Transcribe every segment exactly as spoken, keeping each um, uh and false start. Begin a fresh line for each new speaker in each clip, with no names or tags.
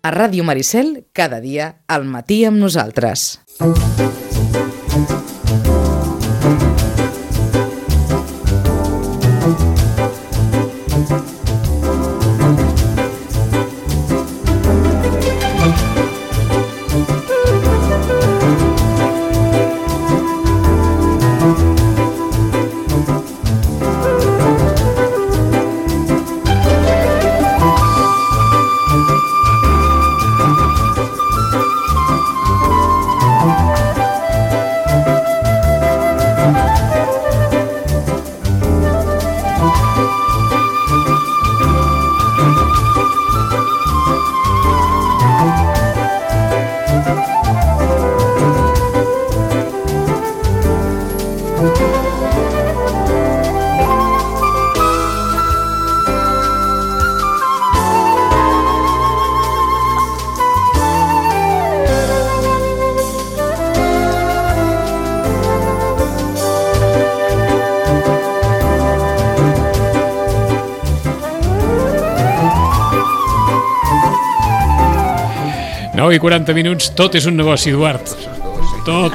A Ràdio Maricel, cada dia al matí amb nosaltres.
nou i quaranta minuts, tot és un negoci, Eduard. Tot.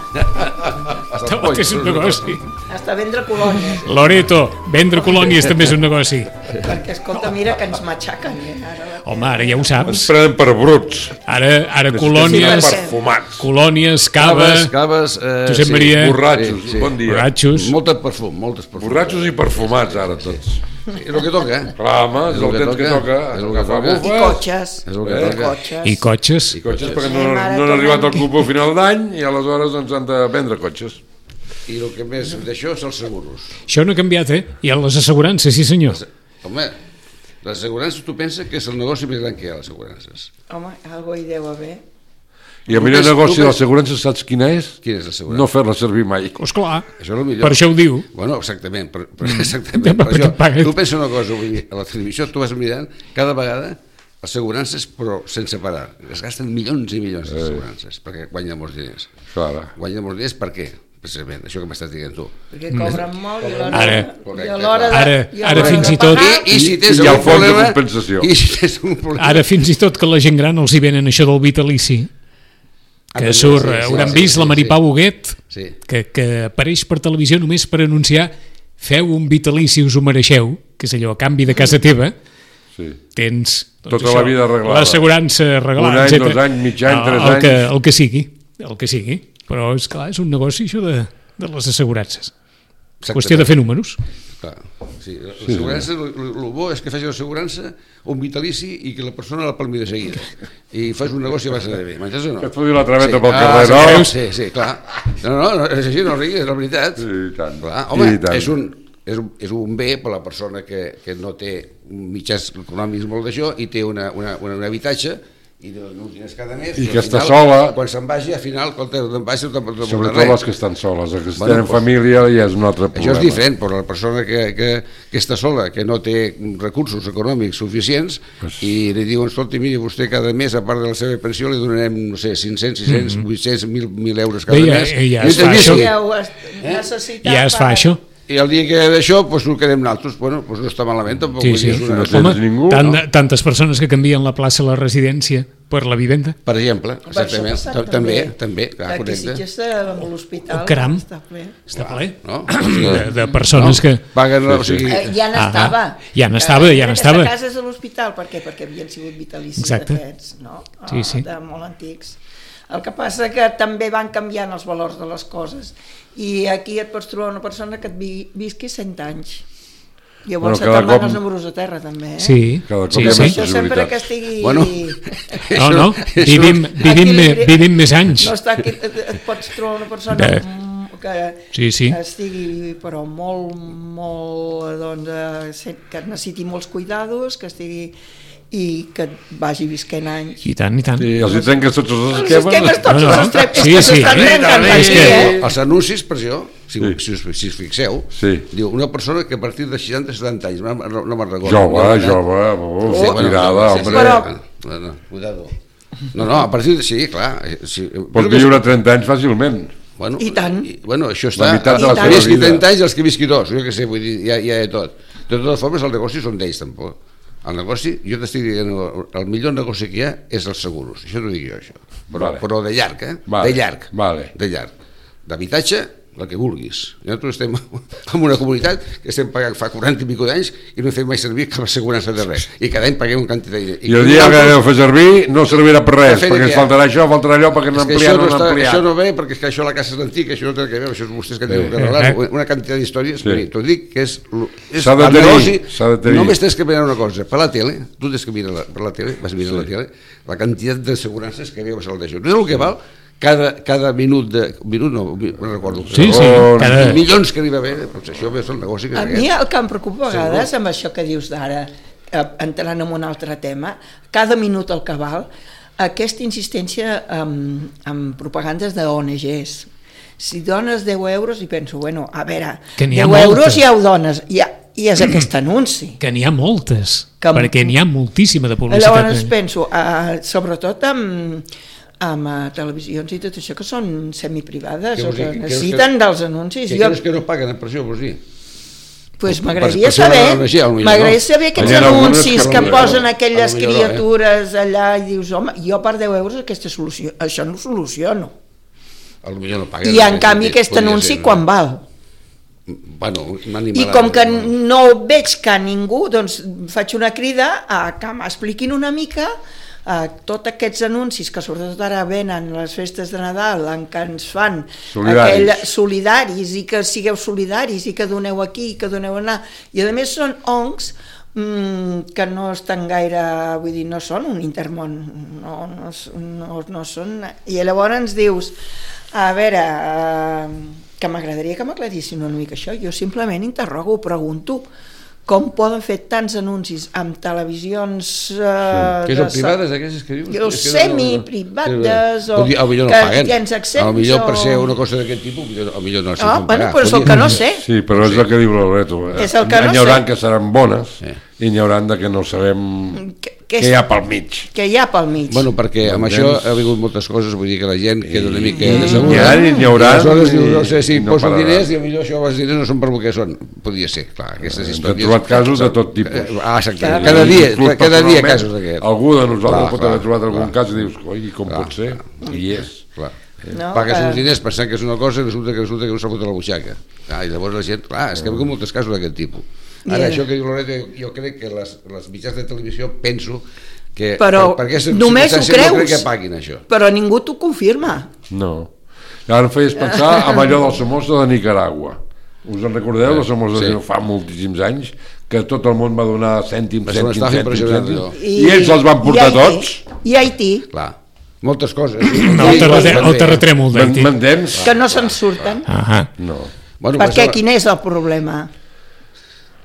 Tot és un negoci.
Hasta vendre colònies.
Loreto, vendre colònies també és un negoci.
Perquè, escolta, mira que ens matxaquen. Eh? Ara...
Home, ara ja ho saps.
Ens prenen per bruts.
Ara, ara colònies,
perfumats.
Colònies, cava...
Caves, caves... Eh,
Josep
sí,
Maria...
Borratxos,
sí, sí.
bon dia.
Borratxos.
Molt de perfum, molt de perfum.
Borratxos i perfumats, ara, tots.
Sí, és el que toca, eh?
Clar, home, és el temps que toca.
És el que toca.
I cotxes.
És el que
Eh?
toca.
Cotxes.
I cotxes.
I cotxes perquè
Sí,
no,
mare,
no han
com
arribat
hem-
al club a final d'any i aleshores doncs han de vendre cotxes.
I el que més d'això és els seguros.
Això no ha canviat, eh? I a les assegurances, sí senyor.
Home, les assegurances, tu penses que és el negoci més gran que hi ha, les assegurances.
Home, algo hi deu haver.
I el
Tu
millor
ves-
negoci
tu
de
ves-
l'assegurança saps quina és?
Quina és l'assegurança?
No fer-la servir mai.
Esclar,
Això és el millor.
per això ho diu.
Bueno, exactament, per, per, exactament.
Ja,
Per
perquè
això,
paguen.
tu pensa una cosa, vull dir, a la televisió tu vas mirant, cada vegada assegurances, però sense parar. Es gasten milions i milions d'assegurances, perquè guanyen molts diners.
Clar.
Guanyen molts diners per què? Precisament, això que m'estàs dient tu.
Perquè cobren molt i a l'hora...
Ara.
i a l'hora de-
Ara-
i a
ara
l'hora
fins
de
i tot-
pagar,
I, i si tens
I el
algun
fons de
problema...
compensació.
I si tens un problema...
Ara fins i tot que la gent gran els hi venen això del vitalici,
Ah,
que
també,
surt,
sí,
eh,
sí,
hauran
sí,
vist
sí,
la Maripà
sí.
Huguet,
Sí.
que, que apareix per televisió només per anunciar feu un vitalici, us ho mereixeu, que és allò, a canvi de casa teva,
Sí.
tens doncs,
Tota la vida arreglada.
l'assegurança arreglada,
Un any,
etcètera.
dos anys, mig any,
No,
tres
el que,
anys.
el que sigui, el que sigui. Però, és clar, és un negoci això de, de les assegurances. Qüestió de fer números.
Clar, sí. L'assegurança, el bo és que facis l'assegurança, un vitalici i que la persona la palmi de seguida. I fas un negoci a base de bé. M'entens o no?
Que et foti la traveta pel
ah,
carrer,
sí,
no?
Sí, sí, clar. No, no, no, és així, no riguis, és la veritat.
Sí, i tant.
Clar, home,
I tant.
és un, és, un, és un bé per a la persona que, que no té mitjans econòmics molt d'això i té una, una, una, un habitatge i de uns diners cada mes.
I
al
que està
final,
sola.
Quan se'n vagi, al final, quan te'n vagi, no te'n
Sobretot les que estan soles, les que
Bueno,
tenen
doncs,
família ja és un altre problema.
això és diferent, però la persona que, que, que està sola, que no té recursos econòmics suficients,
Pues-
i li diuen, escolta, miri, vostè cada mes, a part de la seva pensió, li donarem, no sé, cinc-cents, sis-cents, vuit-cents, mil euros cada
Bé, ja-
mes.
ja
I
es
t'he
fa
vist,
això.
i-
Ja ho has necessitat
Ja es fa
per-
això.
I el dia que d'això, doncs ho quedem nosaltres. Bueno, doncs no està malament, tampoc.
Sí,
vull
sí.
dir, és una...
No tens ningú,
tant,
no?
tantes persones que canvien la plaça a la residència per la vivenda.
Per exemple,
Per això ha
exactament.
passat
Ta- També, també, clar,
Aquí
correcte.
Sitges, amb l'hospital,
Oh, caram.
està ple.
Està ple.
No?
De, de persones que...
Paguen, o
Sí, sí.
sigui...
Eh, ja
Ah,
n'estava.
ja n'estava, ja n'estava.
Aquesta casa és a l'hospital, per què? Perquè havien sigut vitalicis
Exacte.
d'aquests, no?
Sí, sí.
De molt antics. El que passa que també van canviant els valors de les coses. I aquí et pots trobar una persona que et vi- visqui cent anys.
Bueno,
Llavors
cada
se te'n van
cop-
els números a terra, també, eh?
Sí,
Cada cop
sí,
hi ha
sí.
més
Això sempre
possibilitats.
que estigui...
Bueno,
No, no, vivim, vivim, me, vivim més anys.
No està aquí, et, et pots trobar una persona
De-
mm, que
Sí, sí.
estigui però molt, molt, doncs, eh, se- que necessiti molts cuidados, que estigui i que vagi visquent anys.
I tant, i tant.
Sí, els hi trenques tots els
Els
esquemes.
esquemes tots
No, no.
els trep,
Sí,
és que
sí.
s'estan
Eh,
trencant
és
aquí,
que-
eh?
Els anuncis, per això, si,
Sí.
si, us, si us fixeu,
Sí.
diu una persona que a partir de seixanta setanta anys, no, no, no me'n recordo.
Jove,
no,
jove,
Oh,
uf,
bueno,
tirada,
sí, sí,
hombre.
Però-
No, no, cuidado. No, no, a partir de... Sí, clar. eh, Sí,
Pots viure trenta anys fàcilment.
Bueno,
I tant.
I, bueno, això està...
La meitat
de la
els
seva
que visqui
vida.
trenta anys i els que visqui dos, jo què sé, vull dir, ja, ja de tot. De totes formes, els negocis són d'ells, tampoc. El negoci, jo t'estic dient, el millor negoci que hi ha és els seguros, això t'ho dic jo, això. Però,
Vale.
però de llarg, eh?
Vale.
De llarg.
Vale.
De llarg. D'habitatge, la que vulguis. Nosaltres estem en una comunitat que estem pagant fa quaranta i pico d'anys i no fem mai servir cap assegurança de res. I cada any paguem un quantitat de diners.
I el dia que aneu a fer servir no servirà per res,
Per fer
perquè
de
ens
què?
faltarà això, faltarà allò, perquè
És
no
que
ampliat,
això
no
no, està,
ampliat.
això no ve perquè és que això la casa és antiga, això no té res a veure, això és vostès que diuen que
Sí.
arreglar, una quantitat d'històries.
Sí.
Sí. T'ho dic que és, és
S'ha de
el
tenir,
negoci,
s'ha de tenir.
només tens que mirar una cosa, per la tele, tu tens que mirar la, per la tele, vas mirar sí. la tele, la quantitat d'assegurances que veus al d'això. No és el que val cada, cada minut de... minut no, no recordo.
Sí, sí,
Oh,
cada...
milions que arriba a haver, doncs això és el negoci que
A
és
mi
aquest.
el que em preocupa a vegades amb això que dius d'ara, eh, entrant en un altre tema, cada minut el que val, aquesta insistència amb, amb propagandes d'O N Ges. Si dones deu euros i penso, bueno, a veure,
Que n'hi ha
deu
moltes.
euros ja ho dones, ja, i és aquest anunci.
Que n'hi ha moltes,
Que-
perquè n'hi ha moltíssima de publicitat.
Llavors penso, eh, sobretot amb, amb eh, televisions i tot això que són semiprivades
Què
o
vols dir?
que
Creus
necessiten
que-
dels anuncis.
Que
Jo,
creus que no paguen per això, vols dir?
pues
per-
m'agradaria
per ser una
saber,
O N G, potser
m'agradaria
no.
saber aquests
Hi ha algunes
anuncis
que
que
no,
posen
no,
aquelles
potser no, eh?
criatures allà i dius, home, jo per deu euros aquesta solució, això no ho soluciono.
Potser no paguen.
I en canvi aquest anunci quan val?
Bueno,
I com que no veig que ningú, doncs faig una crida a que m'expliquin una mica a tots aquests anuncis que sobretot ara venen les festes de Nadal en què ens fan
Solidaris.
aquell, solidaris i que sigueu solidaris i que doneu aquí i que doneu allà i a més són oncs mmm, que no estan gaire, vull dir, no són un intermón, no, no, no, no són, i llavors ens dius, a veure, eh, que m'agradaria que m'aclarissin una mica això, jo simplement interrogo, pregunto, com poden fer tants anuncis amb televisions... Eh,
Que són
de-
privades, aquestes que dius?
Jo
És que
semiprivades o
Potser- potser no
que
paguen.
tens accés
A lo millor per
o-
ser una cosa d'aquest tipus, potser- a lo millor no els
Ah,
fan
bueno,
pagar.
però és el
Podria-
que no sé.
Sí, però és el que diu l'Alberto.
És el que no
N'hi haurà
sé.
que seran bones
Sí.
i n'hi haurà de que no sabem
Que,
què
que,
hi ha pel mig.
que hi ha pel mig.
Bueno, perquè amb
M'entens?
això ha vingut moltes coses, vull dir que la gent queda una mica
N'hi
decebuda.
ha i n'hi haurà.
I aleshores dius, no
i-
sé si
i no
poso
pararà.
diners i potser això els diners no són per el que són. Podria ser, clar, aquestes
Hem
històries...
trobat casos de tot tipus.
Ah, exacte.
Clar.
Cada dia,
Inclús
cada dia
personalment,
casos d'aquests.
Algú de nosaltres
Clar,
pot
clar,
haver trobat algun
clar.
cas i dius, oi, com
Clar,
pot ser? I és.
Clar.
No,
Pagues
que-
uns diners pensant que és una cosa i resulta que resulta que no s'ha fotut a la butxaca. Ah, i llavors la gent... Clar, és que hi ha molts casos d'aquest tipus. Ara,
Yeah.
això que diu Loreto, jo crec que les, les mitjans de televisió penso que
Però
per, per aquestes
només ho
circumstàncies no crec
creus.
que paguin això.
Però ningú t'ho confirma.
No. Ara em feies pensar amb allò del Somoza de Nicaragua. Us en recordeu, del Somoza
Sí.
de fa moltíssims anys, que tot el món va donar cèntims,
Va ser una
cèntims,
estafa
cèntims,
impressionant,
cèntims,
allò.
i ells els van portar
i Haití,
tots.
I Haití,
Clar, moltes coses.
No, el, terratrè el terratrèmol d'Haití.
M'entens?
que no se'n surten.
Ah,
No.
Bueno,
Perquè
això-
quin és el problema?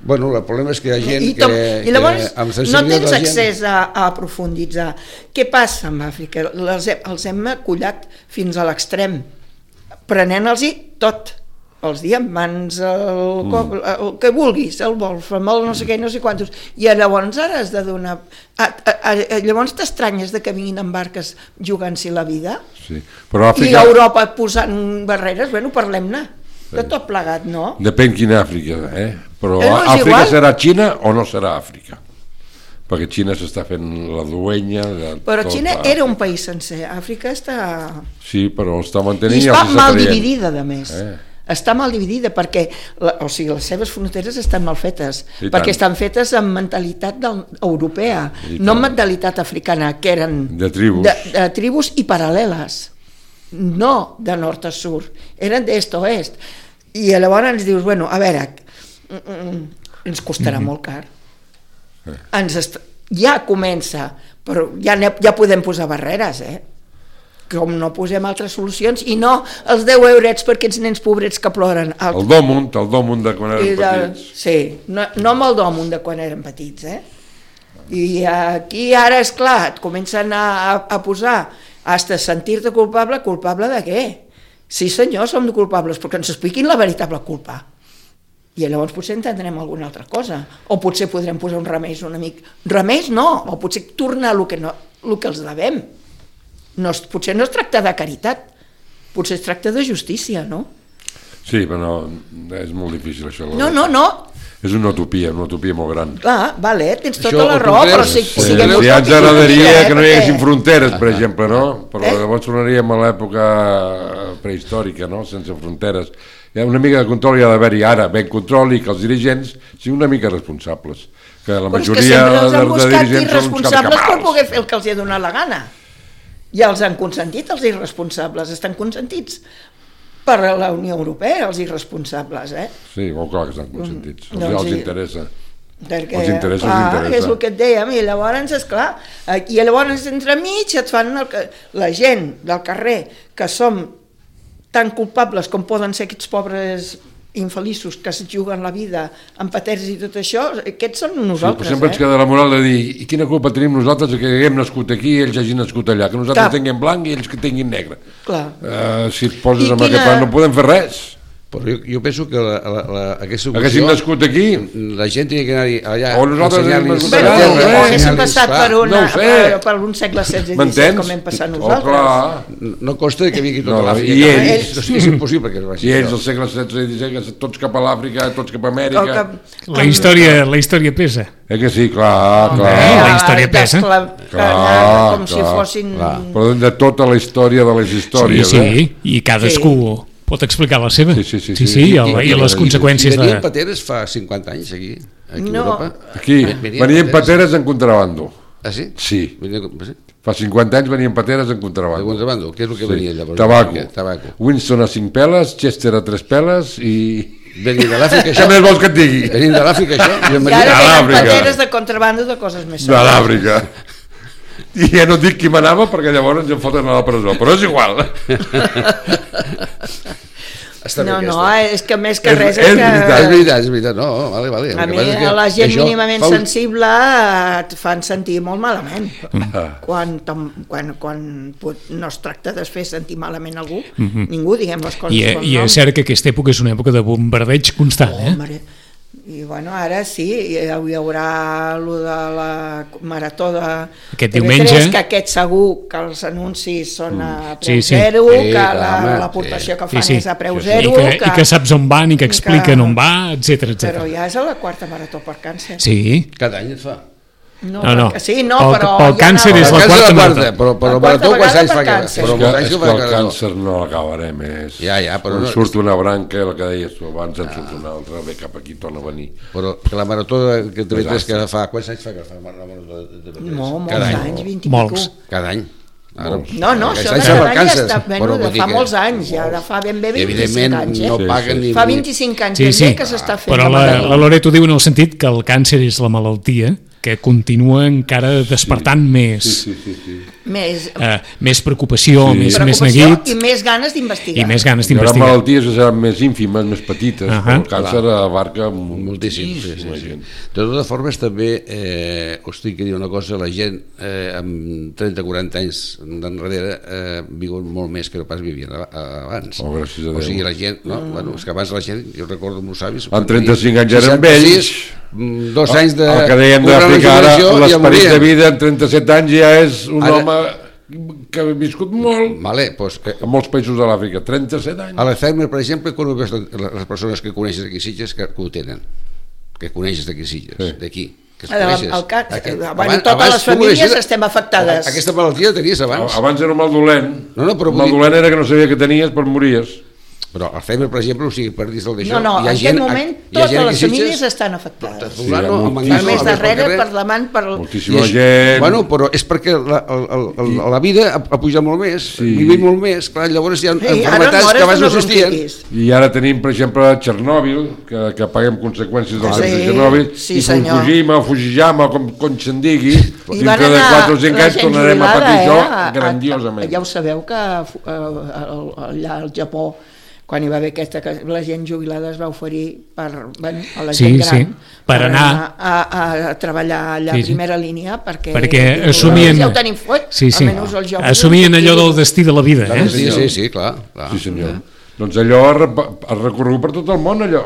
Bueno, el problema és que hi ha gent
I,
que...
tom, I llavors
que amb
no
sensibilitat
tens
de la gent-
accés a, a profunditzar. Què passa amb Àfrica? Les, he- els hem acollat fins a l'extrem, prenent-los-hi tot. Els diamants, el, mm. el que vulguis, el wolfram, el no sé què, no sé quantos. I llavors ara has de donar... A, a, a, llavors t'estranyes de que vinguin en barques jugant-s'hi la vida?
Sí. Però
I
Àfrica...
Europa posant barreres? Bueno, parlem-ne. De tot plegat, no?
Depèn quina Àfrica, eh? Però
Eh, no, és
Àfrica
igual.
serà Xina o no serà Àfrica? Perquè Xina s'està fent la duenya... De
Però
tota
Xina
Àfrica.
era un país sencer. Àfrica està...
Sí, però el està
I
mantenint i
està
els està
mal
traient.
dividida, a més.
Eh.
Està mal dividida perquè la, o sigui, les seves fronteres estan mal fetes,
I
perquè
tant.
estan fetes amb mentalitat del, europea,
I
no amb
tant.
mentalitat africana, que eren
De tribus.
de, de tribus i paral·leles, no de nord a sud, eren d'est a oest. I llavors ens dius, bueno, a veure, mm, mm, ens costarà molt car. Ens est... Ja comença, però ja, ne- ja podem posar barreres, eh? Com no posem altres solucions, i no els deu eurets per aquests nens pobrets que ploren.
El Dòmunt, el Dòmunt de quan
I
eren
de,
petits.
sí, no, no amb el Dòmunt de quan eren petits, eh? I aquí ara, és clar, et comencen a, a, a posar, hasta sentir-te culpable, culpable de què? Sí senyor, som culpables, perquè ens expliquin la veritable culpa. I llavors potser entendrem alguna altra cosa, o potser podrem posar un remeis una mica... Remeis no, o potser tornar el que, no, el que els devem. No, es- potser no es tracta de caritat, potser es tracta de justícia, no?
Sí, però no, és molt difícil això.
No, no, no.
És una utopia, una utopia molt gran.
Clar, vale, tens tota
Això
la
ho
raó,
creus?
però si,
Sí.
siguem
Sí, ja ens
utòpics,
agradaria
eh,
que no hi haguessin
perquè-
fronteres, per exemple, no? Però
Eh?
llavors tornaríem a l'època prehistòrica, no? Sense fronteres. Hi ha una mica de control hi ha d'haver-hi ara, ben control, i que els dirigents siguin una mica responsables. Que la
Però és que
majoria
sempre els
de,
han
de
buscat
dirigents són uns
irresponsables per
carcamals.
poder fer el que els hi ha donat la gana. Ja els han consentit, els irresponsables. Estan consentits per la Unió Europea, els irresponsables, eh?
Sí, molt clar que estan consentits. Els,
Doncs
els
sí.
interessa.
Perquè,
Els interessa,
clar,
els interessa.
és el que et dèiem, i llavors, esclar, eh, i llavors entremig et fan el que, la gent del carrer, que som tan culpables com poden ser aquests pobres infeliços que es juguen la vida amb paters i tot això, aquests són
Sí, però
nosaltres,
sempre ens
eh?
queda la moral de dir i quina culpa tenim nosaltres que haguem nascut aquí i ells hagin nascut allà, que nosaltres
Cap.
tinguem blanc i ells que tinguin negre.
Clar.
Uh, si et poses
I
en
quina-
aquest plan no podem fer res.
Però jo, jo penso que la, la, la, aquesta
Haguéssim nascut aquí,
la gent tenia que anar allà
O nosaltres
ensenyar-li-
haguéssim
Bueno,
nascut allà,
o
no sé.
haguéssim
ensenyar-li,
passat
clar.
per, una,
no ho sé.
per, per un segle setze disset
m'entens?
com hem passat
Oh,
nosaltres.
clar.
No costa que vingui tota
No,
l'Àfrica.
i
cap
ells-
allà. És, és impossible que es vagi.
I ells
això.
al segle setze i disset, tots cap a l'Àfrica, tots cap a Amèrica.
O que-
La història, la història pesa.
Eh que sí, clar, clar.
Eh, la història pesa.
d'esclav-
Clar,
com si
clar,
fossin...
clar.
Però de tota la història de les
Sí,
històries,
sí,
eh?
i cadascú pot explicar la seva.
Sí, sí, sí,
sí,
sí.
sí, i, el, i les
I
conseqüències
venien
de...
pateres fa cinquanta anys aquí, aquí
No.
a Europa.
Aquí,
Venien
venien pateres en contrabando.
Ah, sí?
Sí.
Venien, sí?
Fa cinquanta anys venien pateres en
De
contrabando.
contrabando, què és el que venia llavors?
Tabaco.
Tabaco.
Winston a cinc peles, Chester a tres peles i...
Venien de l'Àfrica,
Què
això?
més vols que et digui?
Venien de l'Àfrica, això? I en
I
venien-
ara
A
tenen
l'Àfrica.
pateres de contrabando de coses més
De l'Àfrica. I ja no et dic qui manava perquè llavors ens en foten a la presó, però és igual.
Està bé
No, no,
aquesta.
és que més que
És-
res
és
és
veritat,
És
que...
veritat, és veritat, no, vale, vale.
A
El que
mi,
passa és que
la gent
això
mínimament
fa un-
sensible et fan sentir molt malament. Quan, tom- quan, quan pot- no es tracta de fer sentir malament algú, ningú, diguem les coses
I,
pel
I
nom.
és cert que aquesta època és una època de bombardeig constant, eh?
Home, i bueno, ara sí, hi hi haurà lo de la marató de
Aquest
T V tres,
diumenge.
que aquest segur que els anuncis són a preu
Sí, sí.
zero,
Sí,
que
clar,
la-
home,
l'aportació que
Sí,
fan
sí.
és a preu
I
zero,
que, i que saps on van i que expliquen
que-
on va, etc
però
etcètera.
ja és a la quarta marató per càncer.
Sí,
Cada any et fa.
No,
No, no.
perquè- Sí, no,
Pel-
però...
pel
ja
càncer
anava-
és la
El càncer
quarta
és
marató.
Però, però
La
el
quarta
marató quants
vegada
anys
per
fa que...
càncer.
Però
És que,
molts anys
és
que
que
fa
el
que no.
càncer no l'acabarem més.
Ja, ja, però
Quan
no-
surt una branca, el que deies tu abans, en surt una altra, ve cap aquí, torna a venir.
Però que la marató de, que T V tres
Desastre.
que fa... Quants anys fa que fa la marató de T V tres?
No, molts
Cada any.
anys, vint i
Molts.
pico.
Cada any. Ara,
No, no,
aquest
això
any
de
fa
cada
el
any ja
càncer.
està, bueno,
Però
de
vull dir
fa
que-
molts anys, ja de fa ben bé
I
vint-i-cinc
evidentment
anys, eh?
no
Sí,
paguen
sí.
ni...
Fa vint-i-cinc anys
sí,
ben
sí.
bé que s'està fent
Però
la
la,
marató.
la Loreto diu en el sentit que el càncer és la malaltia que continua encara despertant més,
Sí, sí, sí.
Més
eh, més preocupació,
Sí.
més, més
preocupació
neguit
i més ganes d'investigar.
i més ganes
Hi haurà
d'investigar.
malalties que seran més ínfimes, més petites,
Ahà.
però el càncer abarca
Moltíssim, sí, sí,
moltíssima
sí.
gent.
De totes formes, també eh, us tinc que dir una cosa, la gent eh, amb trenta quaranta anys d'enrere eh, viuen molt més que no pas vivien a- a- abans.
Oh, gràcies a
O
Déu.
sigui, la gent, no? Bueno, és que abans la gent, jo recordo meus avis...
Amb trenta-cinc anys eren vells.
mm, Dos anys de...
El que dèiem
una
d'Àfrica, ara
regeneració i ja
l'esperit de
morien.
vida en trenta-set anys ja és un
Ara-
home que ha viscut molt
Vale, pues, eh,
en molts països de l'Àfrica, trenta-set anys.
a l'Alzheimer, per exemple, quan ho veus les persones que coneixes aquí a Sitges que, que ho tenen, que coneixes d'aquí a Sitges,
Sí.
d'aquí, que es
El,
coneixes.
el càncer,
Aquest-
bueno,
abans-
totes
abans
les
tu
famílies
coneixies-
estem afectades.
Aquesta malaltia la tenies abans.
Abans era mal dolent.
No, no, però
el
vull
mal
dir-
dolent era que no sabia que tenies, però mories.
Però Alzheimer, per exemple, o sigui, per dir el d'això...
No, no,
hi ha
en
gent-
aquest moment
hi ha
totes
gent
les
aquí a Sitges,
famílies estan afectades.
fulano,
Sí, hi ha
amb
moltíssim.
Per
Mangano,
més
a més, pel
darrere,
carrer.
per davant, per...
Moltíssima
I és-
gent.
Bueno, però és perquè la, el, el, el, la vida ha, ha pujat molt més,
Sí.
vivim molt més, clar, llavors hi ha
Sí, ara
enfermetats
mores
que abans no
d'una
existien.
bronquitis.
I ara tenim, per exemple, Txernòbil, que, que paguem conseqüències del
Sí,
cas de Txernòbil,
sí,
i
senyor.
Fukushima, Fujiyama, com, com se'n digui,
I van
dintre de
anar
quatre o cinc
la
anys
gent
tornarem a
jubilada,
patir això
eh, a- a-
grandiosament.
Ja ho sabeu que eh, allà al Japó, quan hi va haver aquesta, que la gent jubilada es va oferir per, bueno, a la
Sí,
gent gran,
sí, per anar-
a, a treballar allà
Sí,
a
sí.
primera línia, perquè,
perquè
diu,
assumien,
ja ho tenim fet,
sí, sí,
almenys els joves
assumien
no
allò
ho
del destí de la vida, eh?
Sí, sí, sí, clar. clar.
Sí, senyor. Doncs allò ha, rep- ha recorregut per tot el món, allò.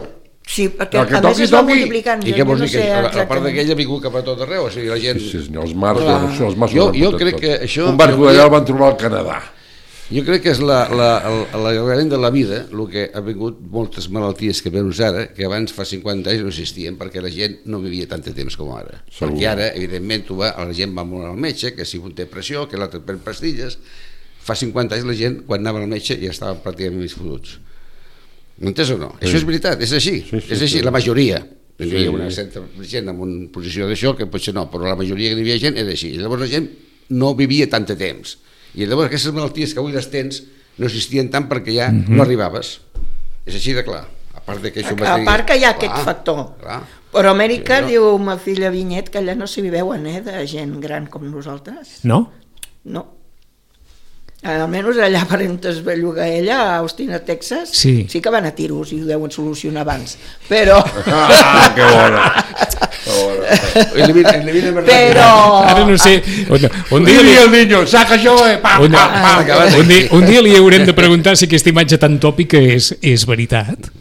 Sí, perquè
El que
a més
toqui,
es va
toqui.
multiplicant.
I
jo
què vols
no
dir? Que
sé
a, a part
exactament.
d'aquella ha vingut cap a tot arreu, o sigui, la gent...
Sí, senyor, els mars,
Clar.
els, els mars
Jo-
ho han
jo
portat
crec
tot.
que això-
Un barco
jo-
d'allà el van trobar al Canadà.
Jo crec que és l'allargament de la vida el que ha vingut moltes malalties que veus ara, que abans fa cinquanta anys no existien perquè la gent no vivia tant de temps com ara. Segur. Perquè ara, evidentment, tu va, la gent va molt al metge, que si un té pressió, que l'altre pren pastilles. Fa cinquanta anys la gent, quan anava al metge, ja estaven pràcticament més fotuts. M'entens o no? Sí. Això és veritat, és així, sí, sí, és així, sí. La majoria. Hi havia sí. una certa gent en una posició d'això que potser no, però la majoria que hi havia gent era així. I llavors la gent no vivia tant de temps. I llavors aquestes malalties que avui les tens no existien tant perquè ja mm-hmm. no arribaves. És així de clar. A part, de que, això
a, a part que hi ha clar, aquest factor. Clar. Però a Amèrica, sí, no? Diu ma filla Vinyet, que allà no s'hi viveuen, eh, de gent gran com nosaltres.
No?
No. Almenys allà per on es belluga ella, a Austin, a Texas, sí. sí que van a tiros i ho deuen solucionar abans. Però...
Ah, que bona!
Però...
Ara no sé... Un,
un dia li... el niño, saca això, eh! Pa,
un,
pa, pa.
Un, dia, un dia li haurem de preguntar si aquesta imatge tan tòpica és, és veritat.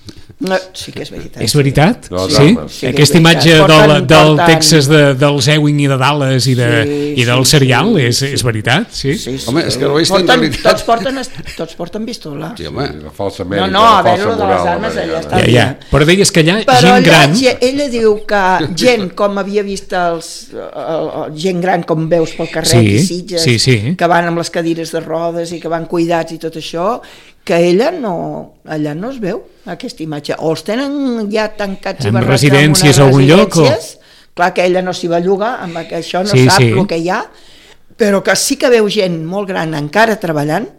No, sí que és veritat.
És veritat?
No,
sí?
sí
Aquesta imatge del, del Texas, de, del Ewing i de Dallas i, de, sí, i del
sí,
serial,
sí,
és,
sí.
és veritat? Sí?
Sí, sí. Home, és que no és
porten, realitat. Tots porten, tots porten pistola.
Sí, home.
La falsa Amèrica,
no, no, a
veure,
lo de les armes allà està
ja, ja. Però deies que allà
Però
gent
allà,
gran...
ella diu que gent com havia vist els, el, el, gent gran com veus pel carrer
sí,
i Sitges,
sí, sí.
que van amb les cadires de rodes i que van cuidats i tot això, que ella no, allà no es veu aquesta imatge, o els tenen ja tancats
en
i barrats
residències
en
a algun lloc o...
clar que ella no s'hi belluga, amb això no
sí,
sap
sí.
el que hi ha, però que sí que veu gent molt gran encara treballant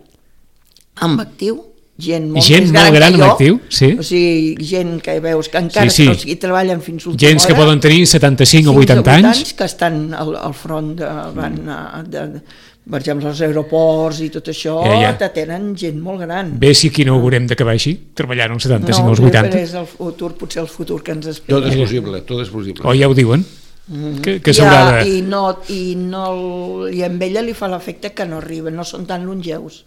amb actiu, gent molt
gent
més gran,
molt gran
que jo,
actiu, sí.
o sigui, gent que veus que encara
sí, sí.
o sigui, treballen fins última
gens
hora,
que poden tenir setanta-cinc o vuitanta anys
que estan al, al front de, van a, de, per exemple als aeroports i tot això, ja, ja. te tenen gent molt gran.
Bé, si aquí no haurem d'acabar així, treballant als setanta-cinc o als
no,
vuitanta.
No, és el futur, potser el futur que ens espera.
Tot és possible, tot és possible.
O ja ho diuen? Mm-hmm. Que, que s'haurà
ja,
de...
I, no, i, no, i amb ella li fa l'efecte que no arriben, no són tan longeus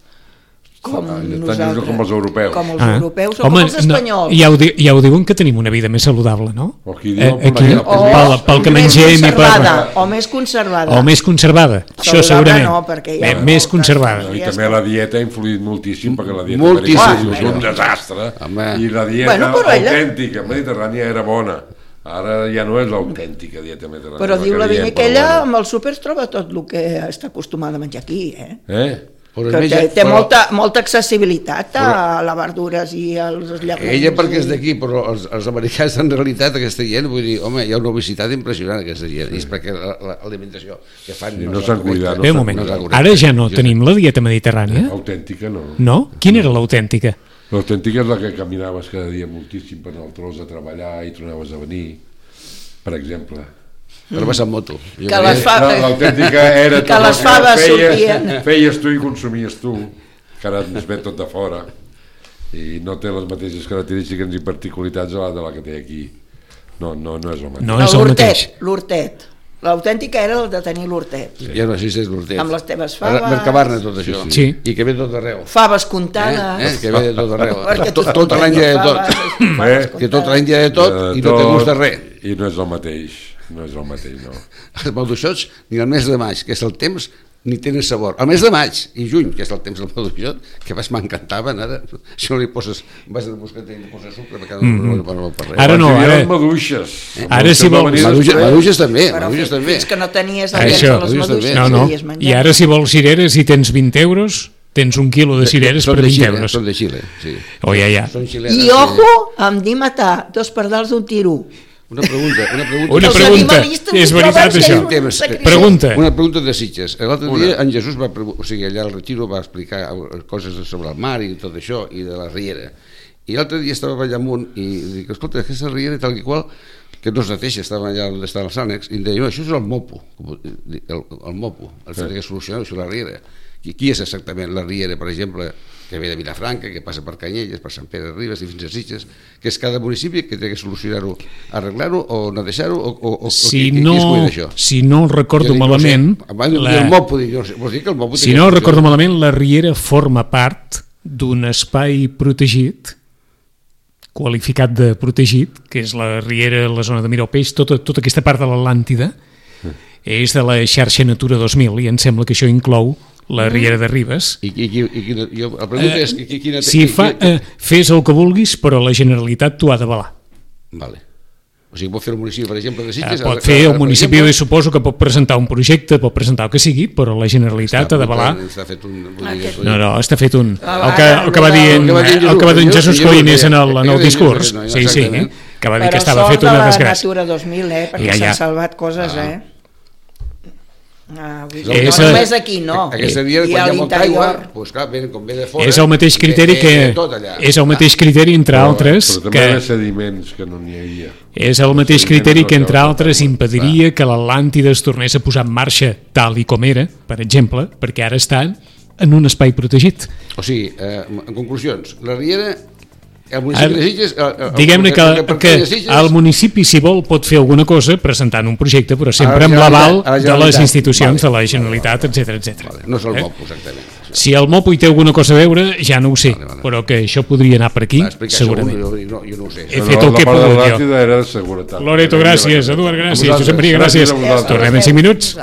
com
ah,
nosaltres,
com els europeus,
com els
ah.
europeus o
Home,
com els espanyols.
No, ja, ho di, ja ho diuen que tenim una vida més saludable, no?
O aquí, diu,
eh, aquí
o,
pel, pel que mengem i per...
O més conservada.
O més conservada, això segurament.
No, perquè
ja més conservada.
I també la dieta ha influït moltíssim, perquè la dieta
moltíssim.
és un desastre.
Home.
I la dieta
bueno,
autèntica mediterrània era bona. Ara ja no és l'autèntica dieta mediterrània.
Però diu la Vinya que ella amb el súper troba tot el que està acostumada a menjar aquí, eh?
Eh?
Que té, té però, molta, molta accessibilitat a però, les verdures i als llegums.
Ella perquè és d'aquí, però els, els americans en realitat aquesta gent, vull dir, home, hi ha una obesitat impressionant aquesta gent, i és perquè l'alimentació que fan...
Sí, no s'han cuidat.
Bé, un moment, ara ja no tenim la dieta mediterrània?
Autèntica no.
No? Quina era l'autèntica?
L'autèntica és la que caminaves cada dia moltíssim per anar al tros a treballar i tornaves a venir, per exemple.
Ara vas amb moto.
Que les fa...
L'autèntica era
que les faves sortien.
Feies tu i consumies tu, que ara ens ve tot de fora, i no té les mateixes característiques i particularitats de la, de la que té aquí. No, no, no és el mateix.
No és el mateix.
L'hortet. L'autèntica era el de tenir l'hortet.
Sí. Ja no sé si és l'hortet.
Amb les teves faves.
Mercabarna, tot això.
Sí, sí.
I que ve tot arreu.
Faves comptades.
Eh? Eh? Que ve de tot arreu. tot, tot l'any hi ha de tot.
Eh?
Que tot l'any hi ha de tot i no té gust de res.
I no és el mateix. No és el mateix, no.
Els maduixots, ni el mes de maig, que és el temps, ni tenen sabor. El mes de maig i juny, que és el temps del maduixot, que vas m'encantaven, ara, si no li poses, vas a buscar i li poses sucre, perquè no, no, no, no per res.
Ara no, ara...
maduixes.
Eh? Ara si vols...
Maduixes, maduixes també, maduixes també.
Fins que no tenies el
temps
de les maduixes,
no, no. I ara si vols cireres i tens vint euros, tens un quilo de cireres per vint euros.
Són de Xile, sí.
Oh, ja, ja.
I ojo, em di matar dos pardals d'un tiro.
Una pregunta, una pregunta.
Una pregunta, és veritat això. Pregunta.
Una pregunta de Sitges. L'altre dia en Jesús va, o sigui, allà al retiro va explicar coses sobre el mar i tot això, i de la riera. I l'altre dia estava allà amunt i dic, escolta, aquesta riera tal i qual, que no es neteja, estava allà on estan els ànecs, i em deia, no, això és el mopo, el, el mopo, el fet que solucionar això la riera. Qui, qui és exactament la riera, per exemple, que ve de Vilafranca, que passa per Canyelles, per Sant Pere de Ribes i fins a Sitges, que és cada municipi que té que solucionar-ho, arreglar-ho o netejar-ho, o, o, o
si
qui,
no,
qui es cuida d'això?
Si no el recordo
dic,
malament...
No sé, abans la... el mopo, dic, vols dir que el mopo...
Si no el recordo malament, la riera forma part d'un espai protegit, qualificat de protegit, que és la riera, la zona de Miralpeix, tota, tota aquesta part de l'Atlàntida, és de la xarxa Natura dos mil, i em sembla que això inclou la Riera de Ribes.
I, i, i, i quina, jo, la pregunta és... Qui, quina,
Si fa, eh, fes el que vulguis, però la Generalitat t'ho ha d'avalar.
Vale. O sigui, pot fer el municipi, per exemple, de Sitges...
Eh, pot fer el municipi, exemple, suposo que pot presentar un projecte, pot presentar el que sigui, però la Generalitat ha d'avalar...
Està fet un...
No, no, està fet un... El que, el que va dir en, el que va dir en Jesús Coinés en el, en el discurs, sí, sí, que va dir que estava fet una desgràcia.
Però Natura dos mil, eh, perquè s'han salvat coses, eh? Ah, no
és,
només aquí, no.
Aquesta dia, quan hi ha molta aigua, doncs clar, com ve de fora...
És el mateix criteri que... És el mateix criteri, entre altres...
Però també hi ha sediments que no n'hi havia.
És el mateix criteri que, entre altres, impediria que l'Atlàntida es tornés a posar en marxa tal i com era, per exemple, perquè ara estan en un espai protegit.
O sigui, en conclusions, la Riera... El municipi de Sitges...
Diguem-ne que, que el municipi, si vol, pot fer alguna cosa presentant un projecte, però sempre amb l'aval de les institucions, de la Generalitat, etcètera, etcètera.
No és el M O P, exactament.
Si el M O P hi té alguna cosa a veure, ja no ho sé, però que això podria anar per aquí, segurament.
Jo no ho sé.
He fet el que he pogut jo.
Era de seguretat.
Loreto, gràcies. Eduard, gràcies. Josep Maria, gràcies. Tornem en cinc minuts.